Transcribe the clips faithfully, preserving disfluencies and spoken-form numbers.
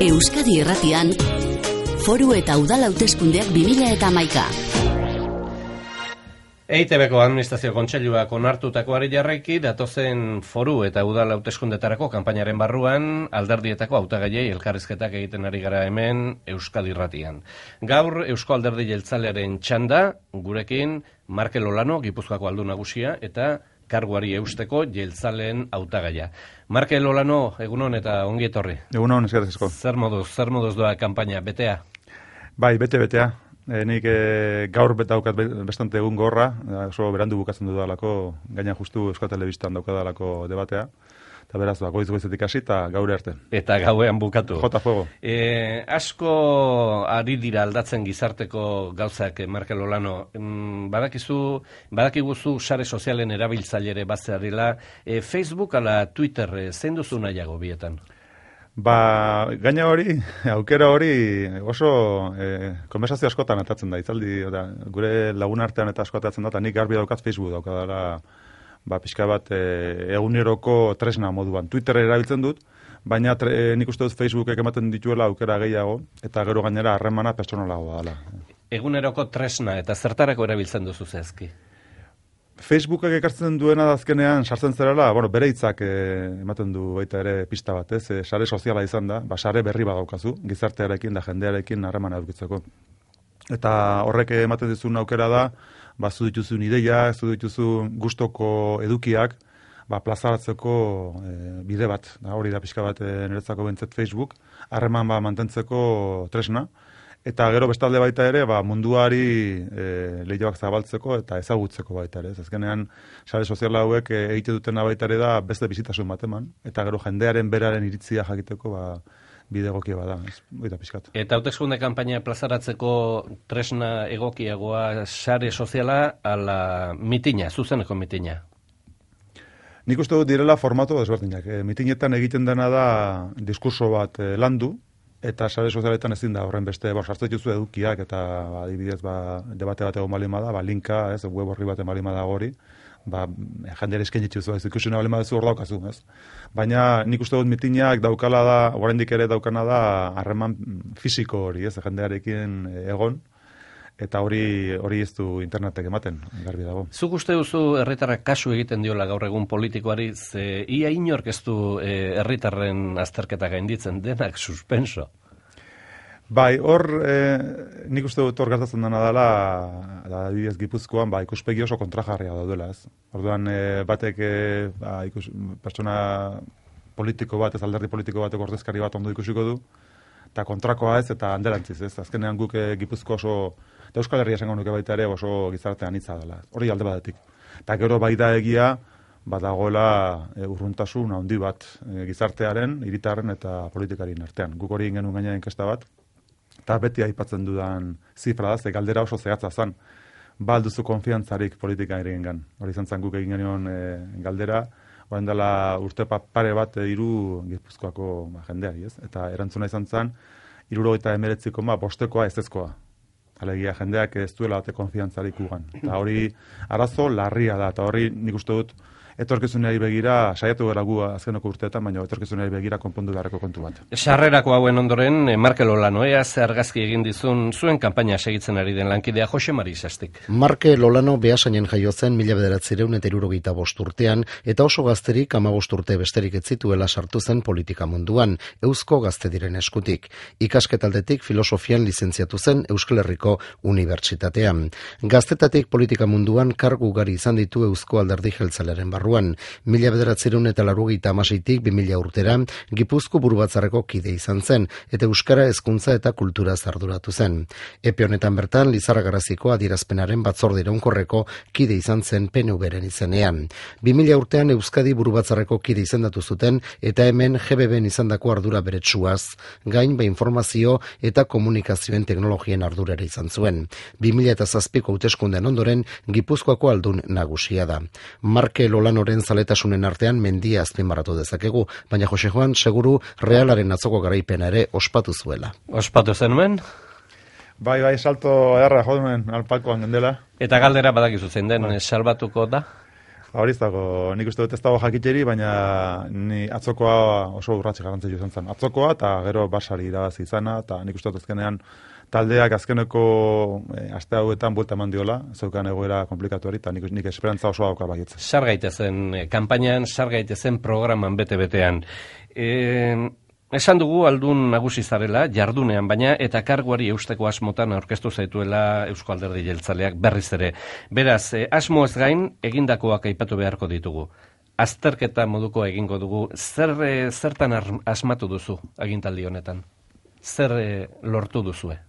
Euskadi Irratian, Foru eta Udal Hauteskundeak bi mila hamaika. E I Te Beko Administrazio Kontseiluak onartutakoari jarraiki datozen foru eta udal hauteskundetarako kanpainaren barruan alderdietako hautagaiei elkarrizketak egiten ari gara hemen Euskadi Irratian. Gaur Eusko Alderdi Jeltzalearen txanda, gurekin Markel Olano, Gipuzkoako aldun nagusia, eta karguari eusteko jeltzaleen hautagaia. Markel Olano, egunon eta ongi etorri. Egunon, eskerrik asko. Zer moduz, zer moduz doa kanpaina, betea? Bai, bete-betea. E, nik e, gaur daukat bastante egun gorra, oso berandu bukatzen dudalako, gaina justu Euskal Telebistan daukadalako debatea, eta beraz, ba, goiz goizetik hasi eta gaur arte. Eta gauean bukatu. Jota fuego. E, asko ari dira aldatzen gizarteko gauzak, Markel Olano. Mm, badakizu, badakiguzu sare sozialen erabiltzailere bazearila, e, Facebook ala Twitter, e, zein duzu nahiago bietan? Ba, gaina hori, aukera hori oso e, konversazio askotan atatzen da, itzaldi, oda, gure lagun artean eta asko atatzen da, eta nik garbi daukat Facebook daukadala, ba, pixka bat e, eguneroko tresna moduan. Twitter erabiltzen dut, baina tre, e, nik uste dut Facebookek ematen dituela aukera gehiago, eta gero gainera harremana pertsonalagoa dela. Eguneroko tresna eta zertarako erabiltzen duzu zehazki? Facebookak ekartzen duena azkenean sartzen zerala, bueno, bere hitzak e, ematen du baita ere pista bat, ez? E, sare soziala izan da, ba, sare berri badaukazu, gizartearekin da jendearekin harremana edukitzeko. Eta horrek ematen dizun aukera da, ba, zu dituzun ideiak, zu dituzun gustoko edukiak, ba, plazaratzeko e, bide bat, da, hori da pixka bat e, niretzako bentzet Facebook, harreman ba, mantentzeko tresna. Eta gero bestalde baita ere, ba, munduari e, lehioak zabaltzeko eta ezagutzeko baita ere. Azkenean, sare soziala hauek e, egite dutena baita ere da beste bizitasun bat eman. Eta gero jendearen beraren iritzia jakiteko ba, bide egokia bada. Eta pixkat. Eta hauteskunde kanpaina plazaratzeko tresna egokiagoa sare soziala ala mitina, zuzeneko mitina? Nik uste dut direla formato desberdinak. E, mitinetan egiten dena da diskurso bat e, landu, eta sare sozialetan ezin da horren beste, bor, sartzen dituzu edukiak, eta ba, adibidez, ba, debate bat egon balima da, ba, linka, ez, web horri bat balima da gori, ba, jendera esken dituzu, ez, ikusina balima duzu hor daukazu, ez. Baina nik uste dut mitinak daukala da, oraindik ere daukana da, harreman fisiko hori, ez, jendearekin egon, eta hori hori ez du internetek ematen, garbi dago. Zuk uste duzu herritarrak kasu egiten diola gaur egun politikoari, ze ia inork ez du herritarren azterketa gainditzen, denak suspenso. Bai, hor, e, nik uste dut hor gertatzen dena dela, da, adibidez Gipuzkoan, ba, ikuspegi oso kontrajarria daudela, ez. Orduan, e, batek, e, ba, ikus, pertsona politiko bat, ez alderdi politiko batek ordezkari bat ondo ikusiko du, eta kontrakoa ez, eta handerantziz, ez. Azkenean guk e, Gipuzko oso, eta Euskal Herria esango nuke baita ere oso gizartean hitza dela. Hori alde batetik. Eta gero bai da egia, badagoela e, urruntasun handi bat e, gizartearen, hiritarren eta politikarien artean. Guk hori genuen gaina inkesta bat, eta beti aipatzen dudan zifra da, ze galdera oso zehatza zen. Ba alduzu konfiantzarik politika egingan. Hori izan zen guk egin genuen e, galdera, orain dela urte pare bat e, hiru Gipuzkoako ba, jendeari, ez? Eta erantzuna izan zen, hirurogeita hemeretziko ma bostekoa ezezkoa. Alegia, jendeak ez duela bate konfiantzarik ugan. Eta hori arazo larria da, eta hori nik uste dut etorkizunari begira, saiatu gara gu azkenoko urteetan, baina etorkizunari begira konpondu beharreko kontu bat. Sarrerako hauen ondoren, Markel Olano, ea ze argazki egin dizun zuen kanpaina segitzen ari den lankidea Jose Mari Sastik. Markel Olano Beasainen jaio zen mila bederatziehun eta hirurogeita bost urtean, eta oso gazterik hamabost urte besterik ez zituela sartu zen politika munduan, Eusko Gaztediren eskutik. Ikasketaldetik filosofian lizentziatu zen Euskal Herriko Unibertsitatean. Gaztetatik politika munduan kargu ugari izan ditu Eusko Alderdi Jeltzalearen barruan. Mila bederatziehun eta laurogeita hamaseitik bi mila urtera Gipuzko burubatzarreko kide izan zen, eta euskara hezkuntza eta kultura arduratu zen. Epe honetan bertan Lizarra Garaziko adierazpenaren batzorde iraunkorreko kide izan zen P N V-ren izenean. bi mila urtean Euskadi burubatzarreko kide izendatu zuten, eta hemen G B B-en izandako ardura beretsuaz, gain ba informazio eta komunikazioen teknologien ardurera izan zuen. bi mila zazpiko hauteskundean ondoren Gipuzkoako aldun nagusia da. Markel Olanoren zaletasunen artean mendia azpimarratu dezakegu, baina Jose Juan seguru Realaren atzoko garaipena ere ospatu zuela. Ospatu zenuen? Bai, bai, salto edarra joduen alpakoan gendela. Eta galdera badakizu zein den, salbatuko da? Hori ez dago, nik uste dut ez dago jakiteri, baina ni atzokoa oso urratxe garrantzitsu izan zen. Atzokoa eta gero Barsari irabazi izana, eta nik uste dut azkenean taldeak azkeneko e, aste hauetan buelta eman diola, zeukan egoera komplikatu hori, eta nik, nik esperantza oso dauka baietz. Sar gaitezen kanpainan, sar gaitezen programan bete-betean. E, esan dugu aldun nagusi zarela, jardunean baina, eta karguari eusteko asmotan aurkeztu zaituela Eusko Alderdi Jeltzaleak berriz ere. Beraz, e, asmo ez gain, egindakoak aipatu beharko ditugu. Azterketa moduko egingo dugu, zer e, zertan asmatu duzu agintaldi honetan? Zer e, lortu duzue?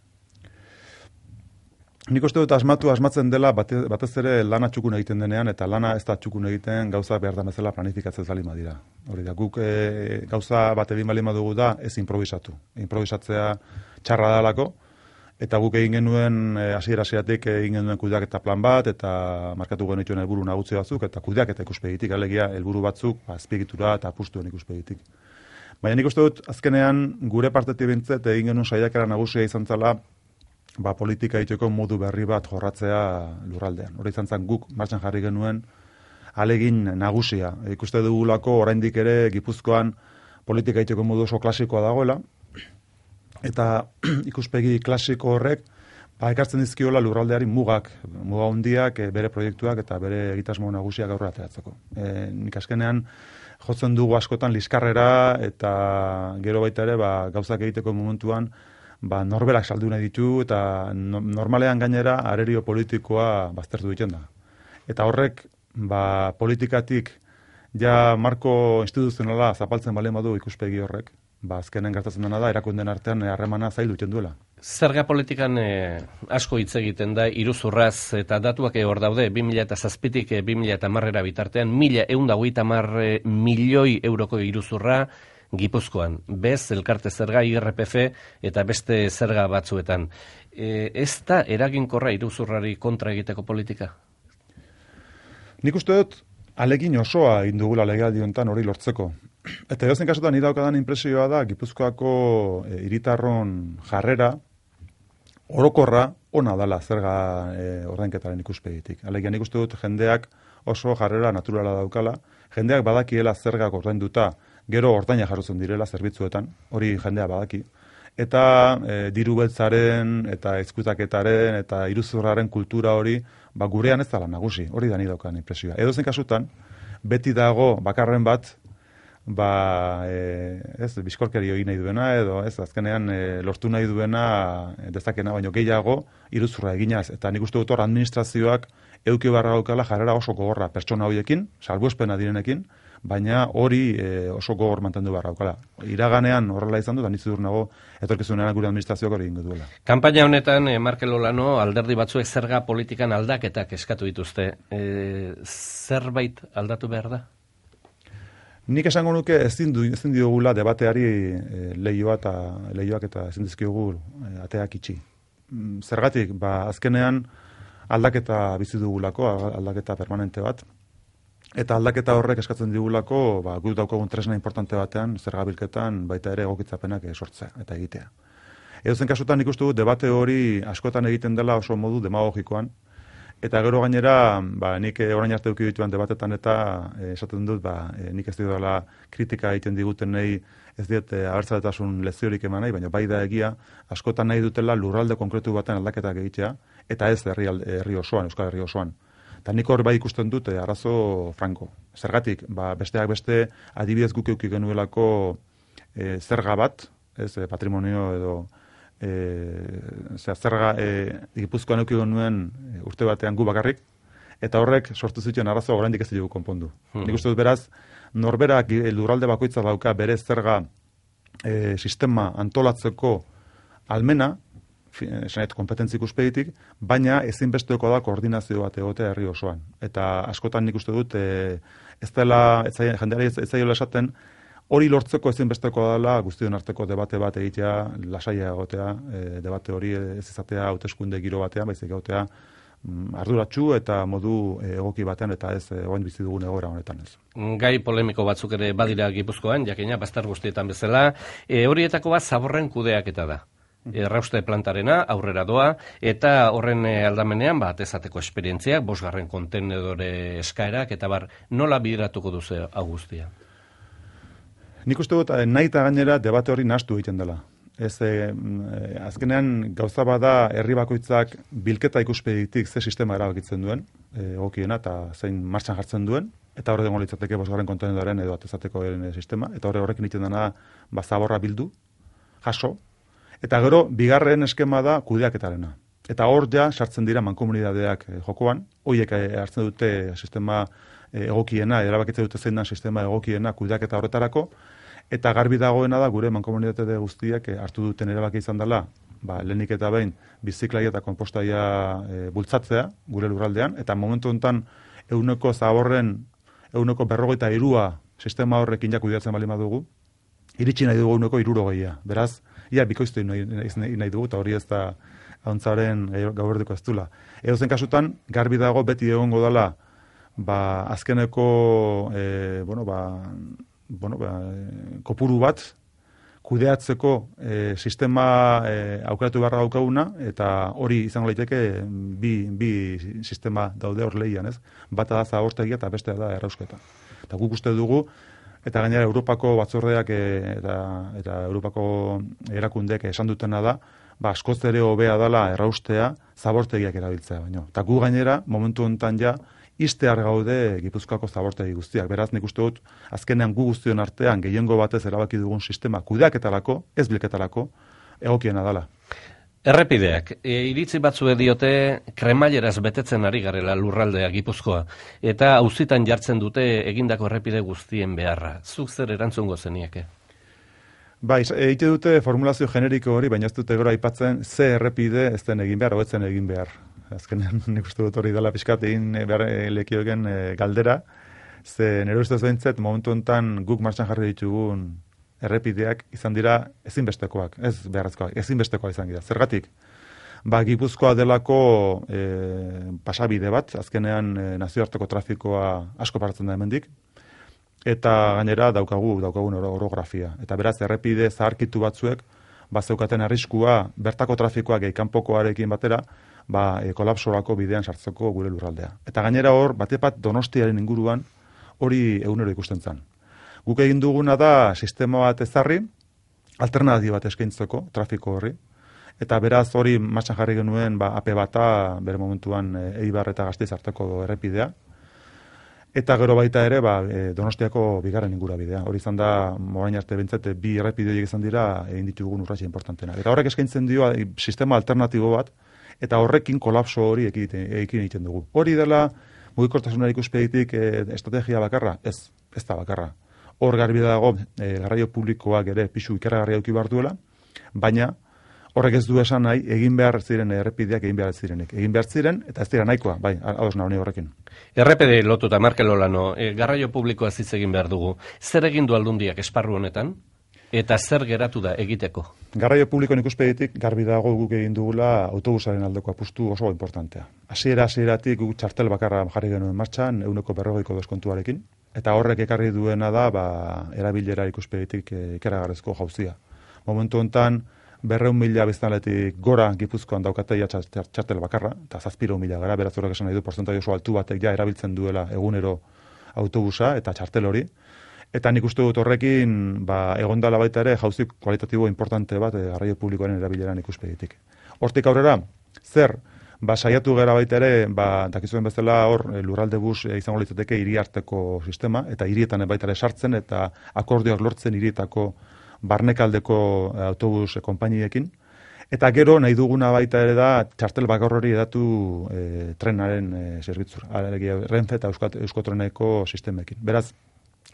Nik uste dut asmatu asmatzen dela bate, batez ere lana txukun egiten denean, eta lana ez da txukun egiten gauza behar da bezala planifikatzen zalima dira. Hori da, guk e, gauza bat egin balima dugu da ez improvisatu. Improvisatzea txarra dalako, eta guk egin genuen hasiera-hasieratik e, egin genuen kudeaketa plan bat, eta markatu genituen helburu nagusi batzuk, eta kudeaketa ikuspegitik, alegia helburu batzuk azpiegitura eta apustuen ikuspegitik. Baina nik uste dut azkenean gure partetik bintzet egin genuen saiakera nagusia izan zela ba, politika egiteko modu berri bat jorratzea lurraldean. Hori izan zen guk martxan jarri genuen alegin nagusia. Ikuste dugulako oraindik ere Gipuzkoan politika egiteko modu oso klasikoa dagoela, eta ikuspegi klasiko horrek ba, ekartzen dizkiola lurraldeari mugak, muga hundiak, bere proiektuak eta bere egitasmo nagusiak aurrera ateratzeko. E, nik askenean jotzen dugu askotan liskarrera eta gero baita ere ba, gauzak egiteko momentuan ba, norberak saldu nahi ditu eta no, normalean gainera arerio politikoa baztertu egiten da. Eta horrek ba, politikatik ja marko instituzionala zapaltzen balen badu ikuspegi horrek, ba, azkenen gertatzen dena da, erakundeen artean harremana zaildu egiten duela. Zerga politikan eh, asko hitz egiten da, iruzurraz eta datuak hor daude, bi mila zazpitik bi mila hamarera bitartean, mila ehun eta hogeita hamar milioi euroko iruzurra Gipuzkoan, bez, elkarte zerga, I R P F eta beste zerga batzuetan. E, ez da eraginkorra iruzurrari kontra egiteko politika? Nik uste dut alegin osoa egin dugula legealdi honetan hori lortzeko. Eta edozein kasutan nire daukadan inpresioa da Gipuzkoako e, hiritarron jarrera orokorra ona dala zerga e, ordainketaren ikuspegitik. Alegia nik uste dut jendeak oso jarrera naturala daukala, jendeak badakiela zergak ordainduta gero ordaina jarrotzen direla zerbitzuetan, hori jendea badaki. Eta e, diru beltzaren, eta ezkutaketaren, eta iruzurraren kultura hori, ba, gurean ez dela nagusi, hori da ni daukan impresioa. Edo zen kasutan, beti dago bakarren bat, ba, e, ez, bizkorkeri egin nahi duena, edo ez, azkenean e, lortu nahi duena dezakena, baino gehiago iruzurra eginaz. Eta nik uste dut hor administrazioak eduki barra gaukala jarrera oso gogorra pertsona horiekin, salbuespena direnekin, baina hori e, oso gogor mantendu barra daukala. Iraganean horrela izan du, da nizu dur nago etorkizunean gure administrazioak hori ingo duela. Kanpaina honetan, eh, Markel Olano, alderdi batzuek zerga politikan aldaketak eskatu dituzte. E, zerbait aldatu behar da? Nik esango nuke ezin du ezin diogula debateari e, leioa eta leioak eta ezin dizkiogu e, ateak itxi. Zergatik, ba azkenean aldaketa bizi dugulako, aldaketa permanente bat. Eta aldaketa horrek eskatzen digulako, ba, guk daukagun tresna importante batean, zergabilketan baita ere egokitzapenak sortzea eta egitea. Edozen kasutan nik uste dut debate hori askotan egiten dela oso modu demagogikoan, eta gero gainera, ba, nik orain arte eduki dituan debatetan eta e, esaten dut, ba, e, nik ez dela kritika egiten diguten nahi, ez diet e, abertzaletasun leziorik eman nahi, baina bai da egia, askotan nahi dutela lurralde konkretu baten aldaketak egitea, eta ez herri, herri osoan, Euskal Herri osoan. Eta nik hor bai ikusten dut eh, arazo franko. Zergatik, ba, besteak beste adibidez guk euki genuelako eh, zerga bat, ez, eh, patrimonio edo eh, zerga eh, Gipuzkoan euki genuen eh, urte batean gu bakarrik, eta horrek sortu zituen arazo oraindik ez dugu konpondu. Hmm. Nik uste dut beraz, norberak lurralde bakoitza dauka bere zerga eh, sistema antolatzeko almena, esanet kompetentzi ikuspegitik, baina ezinbesteko da koordinazio bat egotea herri osoan. Eta askotan nik uste dut, e, ez dela, jendeari ez zaiola esaten, hori lortzeko ezinbesteko dela guztion arteko debate bat egitea, lasaia egotea, e, debate hori ez izatea hauteskunde giro batean, baizik egotea mm, arduratsu eta modu egoki batean, eta ez orain bizi dugun egoera honetan ez. Gai polemiko batzuk ere badira Gipuzkoan, jakina, bastar guztietan bezala, e, horietako bat zaborren kudeaketa da. errauste plantarena aurrera doa, eta horren aldamenean, ba, atezateko esperientziak, bosgarren kontenedore eskaerak, eta bar, nola bideratuko duzu Augustia? Nik uste dut, nahi eta gainera debate hori nahastu egiten dela. Ez, e, azkenean gauza bada herri bakoitzak bilketa ikuspegitik ze sistema erabakitzen duen, egokiena eta zein martxan jartzen duen, eta horre dengo litzateke bosgarren kontenedoren edo atezateko sistema, eta horre horrekin egiten dena ba, zaborra bildu, jaso, eta gero bigarren eskema da kudeaketarena. Eta hor ja sartzen dira mankomunidadeak e, jokoan, horiek e, hartzen dute sistema e, egokiena, erabakitzen dute zein da sistema egokiena kudeaketa horretarako, eta garbi dagoena da gure mankomunitate guztiak e, hartu duten erabaki izan dela, ba, lehenik eta behin biziklaia eta konpostaia e, bultzatzea gure lurraldean, eta momentu honetan euneko zaborren, euneko berrogeita irua sistema horrekin ja kudeatzen bali badugu, iritsi nahi dugu euneko irurogeia. Beraz, ia bikoiztu nahi, nahi, nahi dugu, eta hori ez da hauntzaren gauberdiko ez dula. Edo zen kasutan, garbi dago beti egongo dela, ba, azkeneko, e, bueno, ba, bueno, ba, kopuru bat, kudeatzeko e, sistema e, aukeratu beharra daukaguna, eta hori izango liteke bi, bi sistema daude hor lehian, ez? Bata da zabortegia eta bestea da errausketa. Eta guk uste dugu, eta gainera Europako batzordeak e, eta, eta Europako erakundeek esan dutena da, ba, askoz ere hobea dela erraustea zabortegiak erabiltzea baino. Eta gu gainera, momentu honetan ja, iztear gaude Gipuzkoako zabortegi guztiak. Beraz, nik uste dut, azkenean gu guztion artean gehiengo batez erabaki dugun sistema kudeaketarako, ez bilketarako, egokiena dela. Errepideak, e, iritzi batzue diote kremaileraz betetzen ari garela lurraldea Gipuzkoa, eta auzitan jartzen dute egindako errepide guztien beharra. Zuk zer erantzungo zenieke? Bai, egite dute formulazio generiko hori, baina ez dute gero aipatzen ze errepide ez den egin behar, hobetzen egin behar. Azkenean nik uste dut hori dela pixkat egin behar lekiogen e, galdera, ze nire ustez behintzet momentu honetan guk martxan jarri ditugun errepideak izan dira ezinbestekoak, ez beharrezkoak, ezinbestekoak izan dira. Zergatik? Ba, Gipuzkoa delako e, pasabide bat, azkenean e, nazioarteko trafikoa asko paratzen da hemendik, eta gainera daukagu, daukagun orografia. Eta beraz, errepide zaharkitu batzuek, ba, zeukaten arriskua bertako trafikoak gehi kanpokoarekin batera, ba, e, kolapsorako bidean sartzeko gure lurraldea. Eta gainera hor, batepat Donostiaren inguruan hori egunero ikusten zen. Guk egin duguna da sistema bat ezarri, alternatiba bat eskaintzeko trafiko horri, eta beraz hori martxan jarri genuen ba, A P bata bere momentuan e, Eibar eta Gasteiz arteko errepidea, eta gero baita ere ba, e, Donostiako bigarren ingurabidea. Hori izan da, morain arte bintzete, bi errepide horiek izan dira egin ditugun urratxe importantenak. Eta horrek eskaintzen dio e, sistema alternatibo bat, eta horrekin kolapso hori ekin egiten dugu. Hori dela, mugikortasunari ikuspegitik e, estrategia bakarra? Ez, ez da bakarra. Hor garbi dago, e, garraio publikoak ere pisu ikaragarria eduki behar duela, baina horrek ez du esan nahi, egin behar ziren errepideak egin behar zirenik. Egin behar ziren, eta ez dira nahikoa, bai, ados nahi horrekin. Errepide lotuta, Markel Olano, e, garraio publikoa hitz egin behar dugu. Zer egin du Aldundiak esparru honetan? Eta zer geratu da egiteko? Garraio publikoen ikuspegitik garbi dago guk egin dugula autobusaren aldeko apustu oso importantea. Hasiera hasieratik guk txartel bakarra jarri genuen martxan, euneko berrogeiko deskontuarekin, eta horrek ekarri duena da ba, erabilera ikuspegitik ikaragarrezko jauzia. Momentu honetan, berreun mila biztanletik gora Gipuzkoan daukateia txartel bakarra, eta zazpiro mila gara, beraz horrek esan nahi du, porzentai oso altu batek ja erabiltzen duela egunero autobusa eta txartel hori. Eta nik uste dut horrekin ba, egondala baita ere jauzi kualitatibo importante bat e, garraio publikoaren erabileran ikuspegitik. Hortik aurrera, zer? Ba, saiatu gara baita ere, ba, dakizuen bezala hor e, lurralde bus e, izango litzateke hiri arteko sistema, eta hirietan baita ere sartzen, eta akordioak lortzen hirietako barnekaldeko e, autobus e, konpainiekin. Eta gero nahi duguna baita ere da txartel bakar hori edatu e, trenaren e, zerbitzura, Renfe eta Euskotreneko sistemekin. Beraz,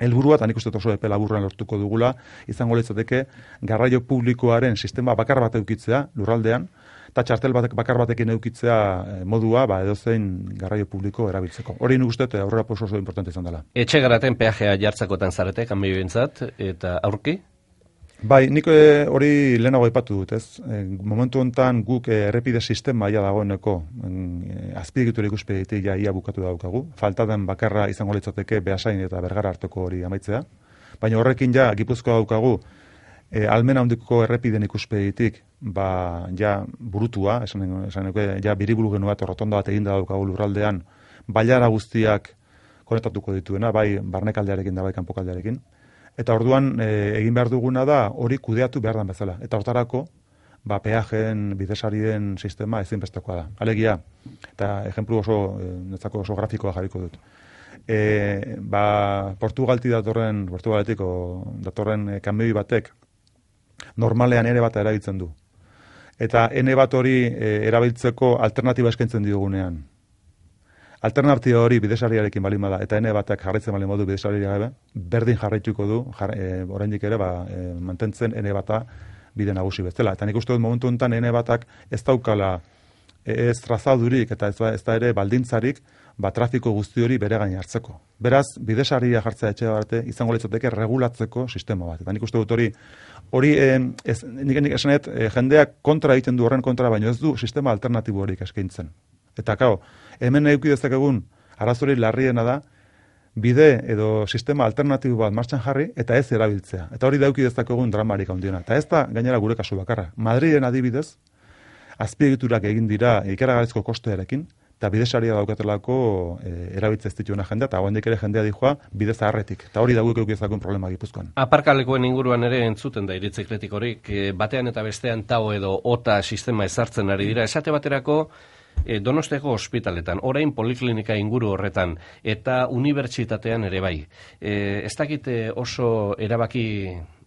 helburua, eta nik uste oso epe laburran lortuko dugula, izango litzateke garraio publikoaren sistema bakar bat eukitzea lurraldean, eta txartel batek, bakar batekin eukitzea modua, ba, edozein garraio publiko erabiltzeko. Hori nik uste aurrera oso oso importante izan dela. Etxe garaten peajea jartzakotan zarete, kanbio bintzat, eta aurki? Bai, nik e, hori lehenago aipatu dut, ez? E, momentu honetan guk e, errepide sistema ia dagoeneko e, azpiegitura ikuspegitik ja ia bukatu daukagu. Falta den bakarra izango litzateke Beasain eta Bergara arteko hori amaitzea. Baina horrekin ja Gipuzkoa daukagu E, almen handiko errepiden ikuspegitik, ba, ja burutua, esan, esan ja biriburu genu bat, rotonda bat eginda daukagu lurraldean, bailara guztiak konektatuko dituena, bai barnekaldearekin da bai kanpokaldearekin. Eta orduan e, egin behar duguna da hori kudeatu behar dan bezala. Eta hortarako, ba, peajen bidesarien sistema ezinbestekoa da. Alegia, eta ejemplu oso, e, netzako oso grafikoa jarriko dut. E, ba, Portugalti datorren, Portugaletiko datorren e, kamioi batek normalean ere bat erabiltzen du. Eta ene bat hori e, erabiltzeko alternatiba eskaintzen diogunean. Alternatiba hori bidesariarekin balin bada, eta ene batak jarraitzen balin badu bidesariarekin gabe, berdin jarraituko du, jar, e, oraindik ere ba, e, mantentzen ene bata bide nagusi bezala. Eta nik uste dut momentu honetan ene batak ez daukala ez trazadurik eta ez, ez da ere baldintzarik, ba, trafiko guzti hori bere gain hartzeko. Beraz, bidesaria jartzea etxe arte izango litzateke regulatzeko sistema bat. Eta nik uste dut hori, hori eh, ez, nik, nik esanet, eh, jendeak kontra egiten du horren kontra, baino ez du sistema alternatibo horik eskaintzen. Eta kao, hemen eduki dezakegun arazori larriena da, bide edo sistema alternatibo bat martxan jarri eta ez erabiltzea. Eta hori dauki dezakegun dramarik handiena. Eta ez da gainera gure kasu bakarra. Madriden adibidez, azpiegiturak egin dira ikaragarrizko kostearekin, eta bidesaria daukatelako e, erabiltze ez dituena jendea, eta hoendik ere jendea dijoa bide zaharretik. Eta hori dagoek eukizakun problema Gipuzkoan. Aparkalekuen inguruan ere entzuten da iritzikletik horik, batean eta bestean tau edo ota sistema ezartzen ari dira. Esate baterako, e, Donosteko ospitaletan, orain poliklinika inguru horretan, eta unibertsitatean ere bai. E, ez dakite oso erabaki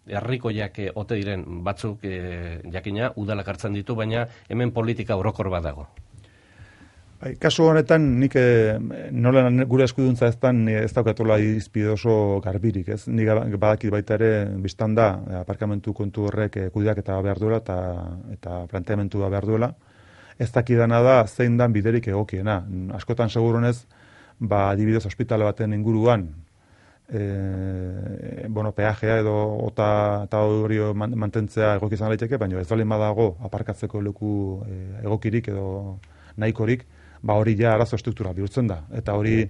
herrikoiak ote diren batzuk e, jakina, udalak hartzen ditu, baina hemen politika orokor bat dago. Bai, kasu honetan, nik e, nola gure eskuduntza eztan ez daukatola izpide oso garbirik, ez? Nik badakit baita ere biztan da, aparkamentu kontu horrek e, kudeak eta behar duela eta, eta planteamentua behar duela. Ez dakidana da zein dan biderik egokiena. Askotan seguronez, ba, adibidez ospitale baten inguruan, e, bueno, peajea edo ota eta hori mantentzea egoki izan daiteke, baina ez dolin badago aparkatzeko leku e, egokirik edo nahikorik, ba hori ja arazo estruktura bihurtzen da. Eta hori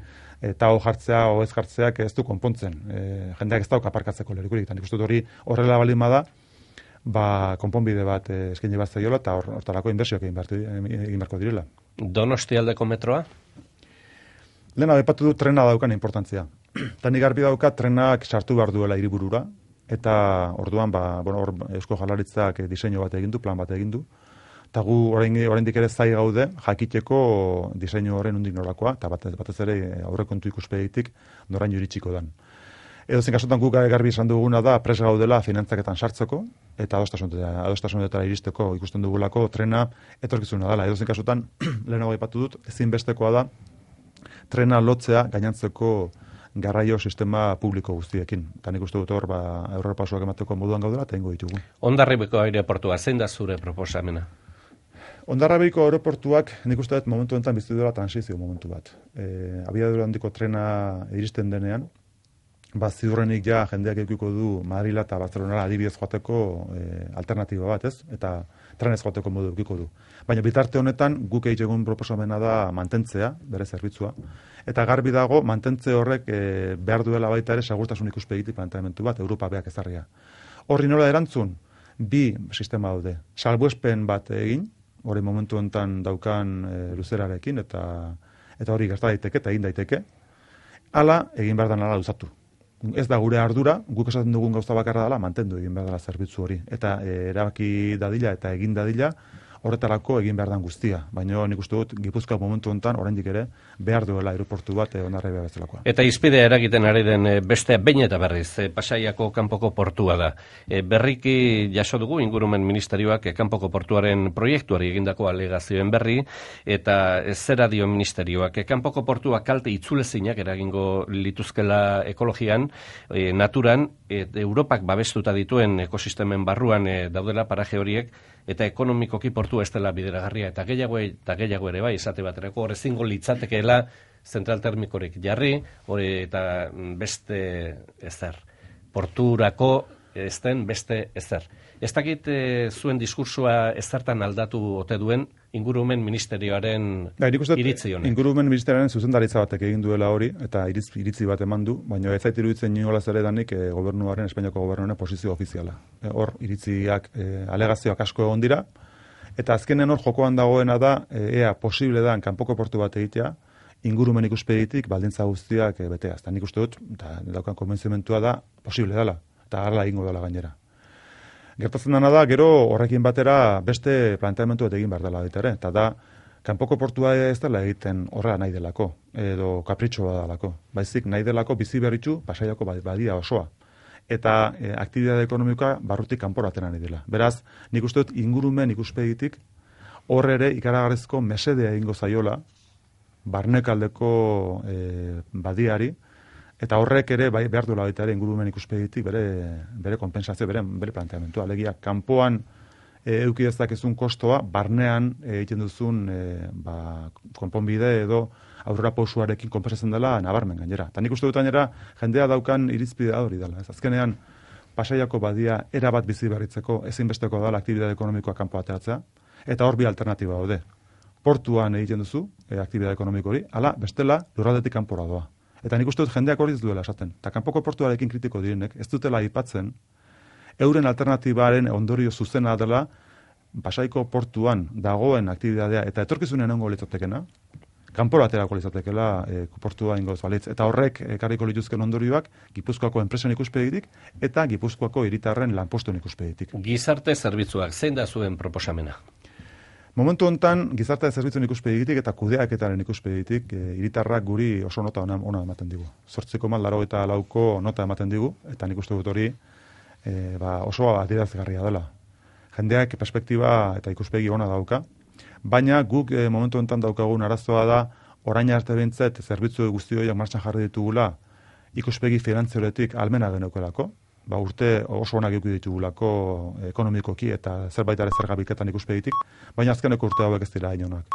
eta ho jartzea o ez jartzeak ez du konpontzen. E, jendeak ez dauka aparkatzeko lekurik. Eta nik uste dut hori horrela balin bada, ba konponbide bat e, eskaini bat zaiola eta hor, hortarako inbertsioak egin beharko direla. Donostialdeko metroa? Lehena aipatu du trena daukan importantzia. Eta nik garbi dauka trenak sartu behar duela hiriburura, eta orduan ba, bueno, hor Eusko Jaurlaritzak diseinu bat egin du, plan bat egin du. Eta gu oraindik ere zai gaude jakiteko diseinu horren undik norakoa, eta batez, batez ere aurrekontu ikuspegitik noraino iritsiko dan. Edozein kasutan guk garbi esan duguna da pres gaudela finantzaketan sartzeko, eta adostasunetara iristeko ikusten dugulako trena etorkizuna dela. Edozein kasutan, lehenago aipatu dut, ezinbestekoa da trena lotzea gainantzeko garraio sistema publiko guztiekin. Eta nik uste dut hor, ba, aurrerapausoak emateko moduan gaudela, eta ingo ditugu. Hondarribiko aireportua, zein da zure proposamena? Hondarribiko aeroportuak nik uste dut momentu enten bizi dela transizio momentu bat. E, abiadura handiko trena iristen denean, ba, ziurrenik ja jendeak edukiko du Madrila eta Barcelonara adibidez joateko e, alternatiba bat, ez? Eta trenez joateko modu edukiko du. Baina bitarte honetan guk egitegun proposamena da mantentzea, bere zerbitzua, eta garbi dago mantentze horrek e, behar duela baita ere segurtasun ikuspegitik planteamendu bat, Europa beak ezarria. Horri nola erantzun, bi sistema daude. Salbuespen bat egin, hori momentu honetan daukan e, luzerarekin, eta eta hori gerta daiteke eta egin daiteke, hala egin behar da nala luzatu. Ez da gure ardura, guk esaten dugun gauza bakarra dela, mantendu egin behar dela zerbitzu hori. Eta e, erabaki dadila eta egin dadila, horretarako egin behar dan guztia. Baina nik uste dut, Gipuzkoa momentu honetan, oraindik ere, behar duela aeroportu bat e, Hondarribia bezalakoa. Eta izpidea eragiten ari den e, beste behin eta berriz, e, Pasaiako kanpoko portua da. E, berriki jaso dugu ingurumen ministerioak e, kanpoko portuaren proiektuari egindako alegazioen berri, eta e, zera dio ministerioak. E, kanpoko portua kalte itzulezinak eragingo lituzkela ekologian, e, naturan, e, Europak babestuta dituen ekosistemen barruan e, daudela paraje horiek, eta ekonomikoki portua ez dela bideragarria, eta gehiago eta gehiago ere bai, esate baterako, hor ezingo litzatekeela zentral termikorik jarri, hori eta beste ezer. Porturako ez den beste ezer. Ez dakit e, zuen diskursua ezertan aldatu ote duen ingurumen ministerioaren da, iritzi honek. Ingurumen ministerioaren zuzendaritza batek egin duela hori, eta iritzi, iritzi bat eman du, baina ez zait iruditzen inolaz ere danik e, gobernuaren, Espainiako gobernuaren posizio ofiziala. hor iritziak, e, alegazioak asko egon dira, eta azkenen hor jokoan dagoena da, e, ea posible da kanpoko portu bat egitea, ingurumen ikuspegitik baldintza guztiak e, betea. Eta nik uste dut, eta daukan konbentzimentua da, posible dela, eta hala egingo dela gainera. Gertatzen dena da, gero horrekin batera beste planteamentu bat egin behar dela baita ere, eta da, kanpoko portua ez dela egiten horrela nahi delako, edo kapritxoa delako. Baizik nahi delako bizi berritxu Pasaiako badia osoa. Eta e, aktibitate ekonomikoa barrutik kanporatzen ari dela. Beraz, nik uste dut ingurumen ikuspegitik hor ere ikaragarrizko mesedea egingo zaiola barnekaldeko e, badiari, eta horrek ere bai, behar duela baita ere ingurumen ikuspegitik bere, bere kompensazio, bere, bere planteamentua. Alegia, kanpoan E, euki dezakezun kostoa, barnean egiten duzun e, ba, konponbide edo aurrera pausuarekin konpensatzen dela nabarmen gainera. Eta nik uste dut gainera jendea daukan irizpidea hori dela. Ez azkenean Pasaiako badia erabat bizi berritzeko ezinbesteko dela aktibitate ekonomikoa kanpo ateratzea, eta hor bi alternatiba daude. Portuan egiten duzu e, aktibitate ekonomiko hori, ala bestela lurraldetik kanpora doa. Eta nik uste dut jendeak hori ez duela esaten. Eta kanpoko portuarekin kritiko direnek ez dutela aipatzen euren alternatibaren ondorio zuzena dela Pasaiko portuan dagoen aktibitatea eta etorkizunen egongo litzatekena, kanpora aterako litzatekela e, portua ingoz balitz. Eta horrek ekarriko lituzken ondorioak Gipuzkoako enpresen ikuspegitik eta Gipuzkoako hiritarren lanpostuen ikuspegitik. Gizarte zerbitzuak, zein da zuen proposamena? Momentu hontan gizarte zerbitzuen ikuspegitik eta kudeaketaren ikuspegitik e, hiritarrak guri oso nota ona, ona ematen digu. zortzi koma laurogeita lauko nota ematen digu, eta nik uste dut hori E, ba, oso adierazgarria dela. Jendeak perspektiba eta ikuspegi ona dauka, baina guk e, momentu honetan daukagun arazoa da orain arte behintzat zerbitzu guzti horiek martxan jarri ditugula ikuspegi finantzioretik almena geneukelako, ba, urte oso onak eduki ditugulako ekonomikoki eta zerbait ere zergabiketan ikuspegitik, baina azkeneko urte hauek ez dira inonak.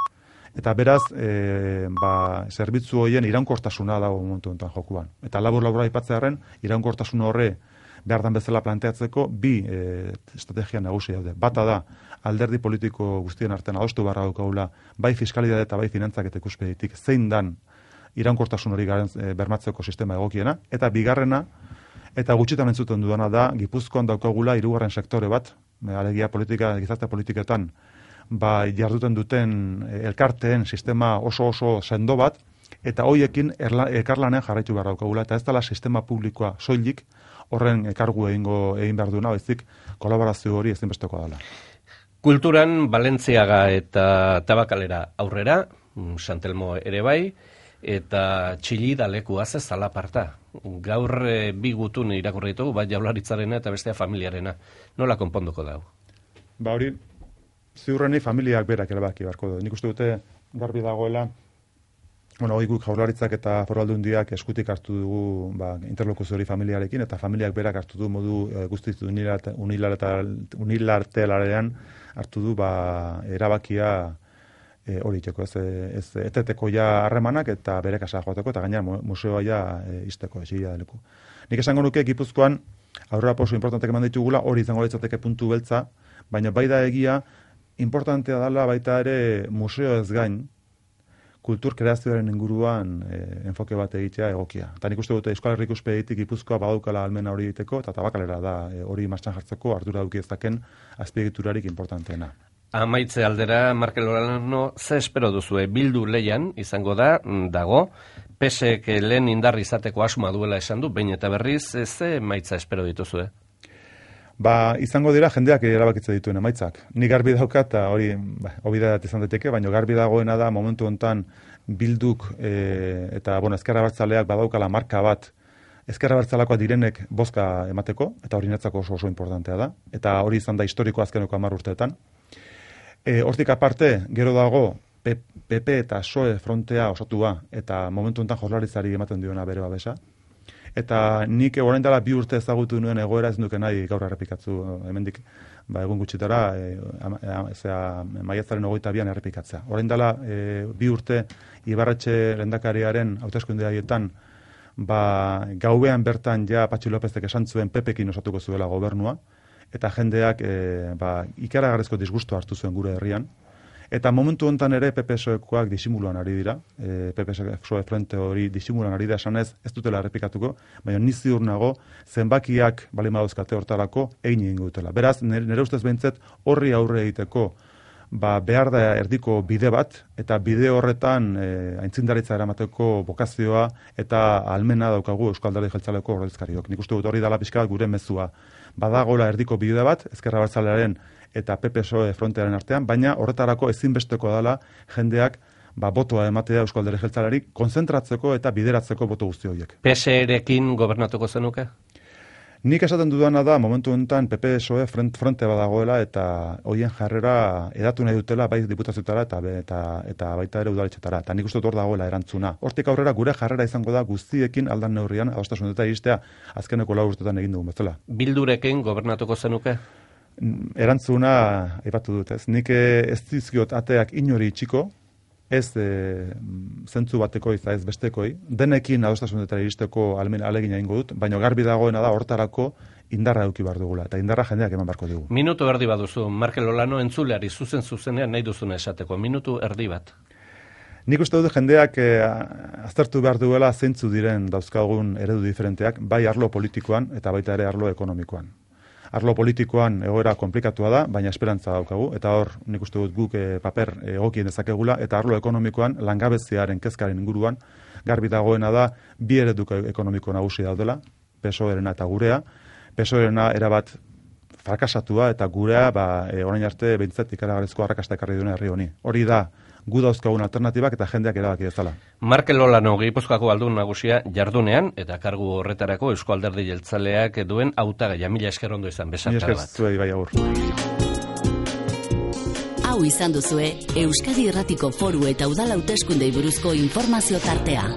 Eta beraz, e, ba, zerbitzu horien iraunkortasuna dago momentu honetan jokuan. Eta labur-labur aipatzearren, iraunkortasun horre behar dan bezala planteatzeko bi e, estrategia nagusi daude. Bata da, alderdi politiko guztien artean adostu barra daukagula, bai fiskalidade eta bai finantzak eta ikuspegitik, zein dan iraunkortasun hori garen, e, bermatzeko sistema egokiena, eta bigarrena, eta gutxitan entzuten dudana da, Gipuzkoan daukagula hirugarren sektore bat, alegia politika, gizarte politiketan, ba, jarduten duten e, elkarteen sistema oso oso sendo bat, eta hoiekin elkarlanean jarraitu behar daukagula, eta ez dela sistema publikoa soilik, horren kargu egingo egin behar duena, bezik kolaborazio hori ezinbestekoa dela. Kulturan Balentziaga eta Tabakalera aurrera, Santelmo ere bai, eta Txillida lekua ze zalaparta. Gaur e, bi gutun irakurri ditugu, bat Jaurlaritzarena eta bestea familiarena. Nola konponduko dau? Ba hori, ziurreni familiak berak erabaki beharko du. Nik uste dute garbi dagoela, bueno, hori guk Jaurlaritzak eta Foru Aldundiak eskutik hartu dugu ba, interlokuzio hori familiarekin, eta familiak berak hartu du modu e, guztiz unilateralean hartu du ba, erabakia e, hori iteko, ez, ez eteteko ja harremanak eta bere kasa joateko, eta gainera museoa ja e, izteko, esia deleku. Nik esango nuke Gipuzkoan aurrera pauso importantek eman ditugula, hori izango litzateke puntu beltza, baina bai da egia, importantea dela baita ere museo ez gain, kultur kreazioaren inguruan e, enfoke bat egitea egokia. Eta nik uste dute Euskal Herriko ikuspegitik Gipuzkoa badaukala almena hori egiteko, eta Tabakalera da e, hori martxan jartzeko ardura duki ezaken azpiegiturarik importanteena. Amaitze aldera, Markel Olano, ze espero duzue bildu leian izango da, dago, pesek lehen indar izateko asuma duela esan du, behin eta berriz, ze emaitza espero dituzue? Ba, izango dira jendeak erabakitze dituen emaitzak. Ni garbi daukat, eta hori ba, obidat izan daiteke, baina garbi dagoena da momentu hontan bilduk e, eta bueno, ezkerra bertzaleak badaukala marka bat ezkerra bertzalakoa direnek bozka emateko, eta hori netzako oso oso importantea da, eta hori izan da historiko azkeneko hamar urteetan. E, hortik aparte, gero dago P P eta P S O E frontea osatua, eta momentu hontan Jaurlaritzari ematen diona bere babesa. Eta nik orain dela bi urte ezagutu nuen egoera ez nuke nahi gaur errepikatzu hemendik ba, egun gutxitara e, maiatzaren hogeita bian errepikatzea. Orain dela e, bi urte Ibarretxe lehendakariaren hauteskunde haietan ba, gauean bertan ja Patxi Lopezek esan zuen Pepekin osatuko zuela gobernua, eta jendeak e, ba, ikaragarrizko disgusto hartu zuen gure herrian, Eta momentu honetan ere P P S Oekoak disimuluan ari dira, e, P P S O E frente hori disimuluan ari da esanez, ez dutela errepikatuko, baina ni ziur nago zenbakiak bali madauzkate hortarako egin egingo dutela. Beraz, nire ustez behintzet horri aurre egiteko ba, behar da erdiko bide bat, eta bide horretan e, aintzindaritza eramateko bokazioa eta almena daukagu Euskal Alderdi Jeltzaleko ordezkariok. Nik uste dut hori dela pixka bat gure mezua. Badagola erdiko bide bat, Ezker Abertzalearen eta P P S O E frontearen artean, baina horretarako ezinbesteko dela jendeak ba, botoa ematea Euskal Alderdi Jeltzaleari konzentratzeko eta bideratzeko boto guzti horiek. P S erekin gobernatuko zenuke? Nik esaten dudana da, momentu honetan P P S O E fronte badagoela eta hoien jarrera edatu nahi dutela bai diputazioetara eta, eta, eta baita ere udaletxetara. Eta nik uste dut hor dagoela erantzuna. Hortik aurrera gure jarrera izango da guztiekin aldan neurrian, adostasunetara iristea azkeneko lau urtetan egin dugun bezala. Bildurekin gobernatuko zenuke? Erantzuna aipatu dut, ez. Nik ez dizkiot ateak inori itxiko, ez e, zentzu bateko eta ez bestekoi, denekin adostasunetara iristeko almen alegina egingo dut, baina garbi dagoena da hortarako indarra eduki behar dugula, eta indarra jendeak eman barko digu. Minutu erdi baduzu, Markel Olano entzuleari zuzen zuzenean nahi duzuna esateko, minutu erdi bat. Nik uste dut jendeak eh, aztertu behar duela zeintzu diren dauzkagun eredu diferenteak, bai arlo politikoan eta baita ere arlo ekonomikoan. Arlo politikoan egoera komplikatua da, baina esperantza daukagu, eta hor nik uste dut guk e, paper egokien dezakegula, eta arlo ekonomikoan langabeziaren kezkaren inguruan, garbi dagoena da, bi eredu ekonomiko nagusi daudela, P S O E-rena eta gurea, P S O E-rena erabat frakasatua, eta gurea ba, e, orain arte behintzat ikaragarrizko arrakasta ekarri duen herri honi. Hori da, gu dauzkagun alternatibak eta jendeak erabaki dezala. Markel Olano, Gipuzkoako aldun nagusia jardunean, eta kargu horretarako Eusko Alderdi Jeltzaleak duen hautagaia. Mila esker ondo izan, besarkada bat. Zuei, bai, agur. Hau izan duzue, Euskadi Irratiko Foru eta Udal Hauteskundei buruzko informazio tartea.